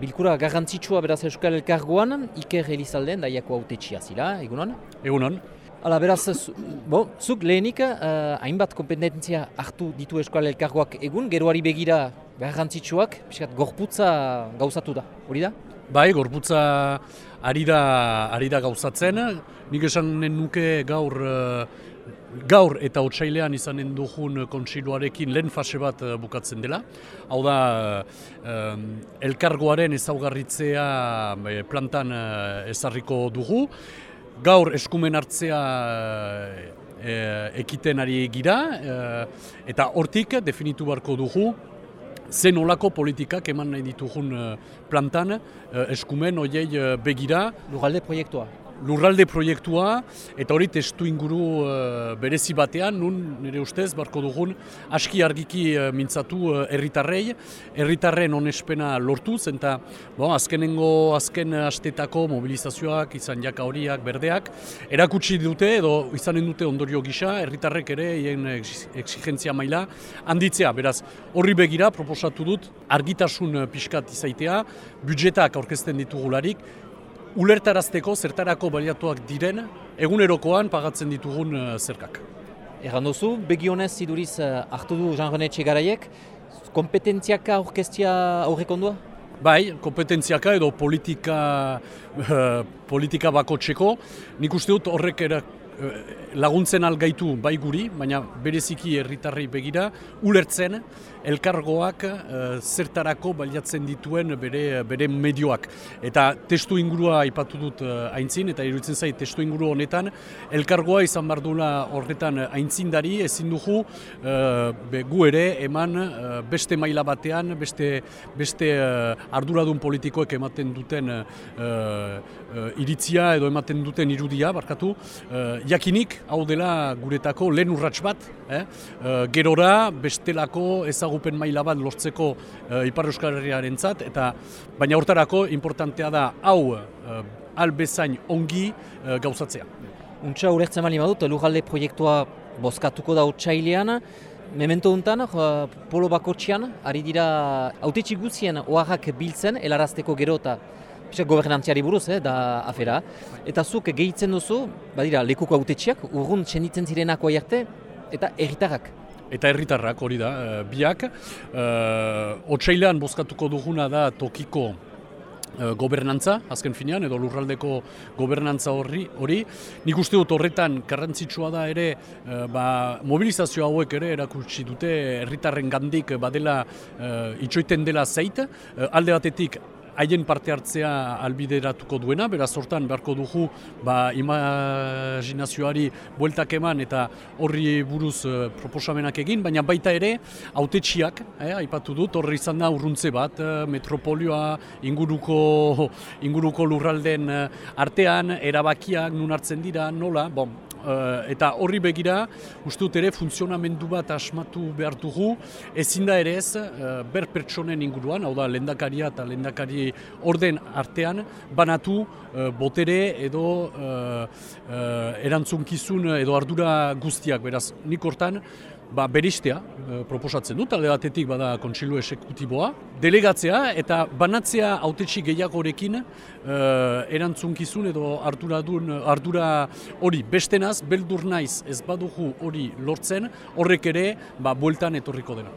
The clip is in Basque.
Bilkura garrantzitsua beraz Euskal Elkargoan, Iker Elizalden daiako hautetxia zila, egunon? Egunon. Hala, beraz, zuk lehenik hainbat kompetentzia hartu ditu Euskal Elkargoak egun, geroari begira garrantzitsuak, piskat gorputza gauzatu da, hori da? Bai, gorputza ari da gauzatzen. Nik esanen nuke gaur eta otsailean izanen dugun kontseiluarekin lehen fase bat bukatzen dela. Hau da, elkargoaren ezaugarritzea plantan ezarriko dugu. Gaur eskumen hartzea ekiten ari gira, eta hortik definitu beharko dugu zen olako politikak eman nahi ditugun plantan eskumen horiei begira. Lurralde proiektua, eta hori testu inguru berezi batean, nun nire ustez barko dugun aski argiki mintzatu herritarren onespena lortuz, eta azken astetako mobilizazioak, izan jaka horiak, berdeak, erakutsi dute edo izanen dute ondorio gisa, herritarrek ere hien exigentzia maila handitzea. Beraz, horri begira proposatu dut argitasun pixkat izaitea, budjetak aurkezten ditugularik, ulertarazteko zertarako baliatuak diren egunerokoan pagatzen ditugun zerkak. Erran duzu, begionez iduriz hartu du Jean-René Txegaraiek, kompetentziaka aurkeztia aurrekondua? Bai, kompetentziaka edo politika bakotseko. Nik uste dut horrek laguntzen algaitu bai guri, baina bereziki herritarrei begira, ulertzen elkargoak zertarako baliatzen dituen bere medioak. Eta testu ingurua aipatu dut aintzin, eta iruditzen zait testu inguru honetan, elkargoa izan behar duela horretan aintzindari, ezin dugu gu ere eman beste maila batean, beste arduradun politikoek ematen duten iritzia edo ematen duten irudia, barkatu, jakinik, hau dela guretako lehen urrats bat, gerora bestelako ezagupen maila bat lortzeko Ipar Euskal Herriarentzat, baina hortarako importantea da hau albezain ongi gauzatzea. Untxa ulertzen bali badut, lurralde proiektua bozkatuko da otsailean, memento untan, polo bakotxean, ari dira hautetsi guzien oharrak biltzen, helarazteko gero eta gobernantziari buruz, da afera. Eta zuk gehitzen duzu, badira, lekuko hautetxiak, urrun txenditzen zirenako arte, eta herritarrak. Eta herritarrak hori da, biak. Otsailean bozkatuko duguna da tokiko gobernantza, azken finean, edo lurraldeko gobernantza hori. Nik uste dut horretan garrantzitsua da ere, mobilizazio hauek ere erakutsi dute herritarren gandik badela itxoiten dela zeit, alde batetik haien parte hartzea albideratuko duena, beraz hortan beharko dugu imaginazioari bueltak eman eta horri buruz proposamenak egin, baina baita ere hautetsiak, aipatu dut, horri izan da urruntze bat, metropolioa, inguruko lurralden artean, erabakiak nun hartzen dira, nola, eta horri begira, uste dut ere funtzionamendu bat asmatu behar dugu, ezin da ere ez, ber pertsonen inguruan, hau da lehendakaria eta lehendakari orden artean, banatu botere edo erantzunkizun edo ardura guztiak, beraz, nik hortan, beristea proposatzen dut, alde batetik bada kontseilu esekutiboa, delegatzea eta banatzea hautetsi gehiagorekin erantzunkizun edo ardura hori bestenaz, beldur naiz ez badugu hori lortzen, horrek ere bueltan etorriko dena.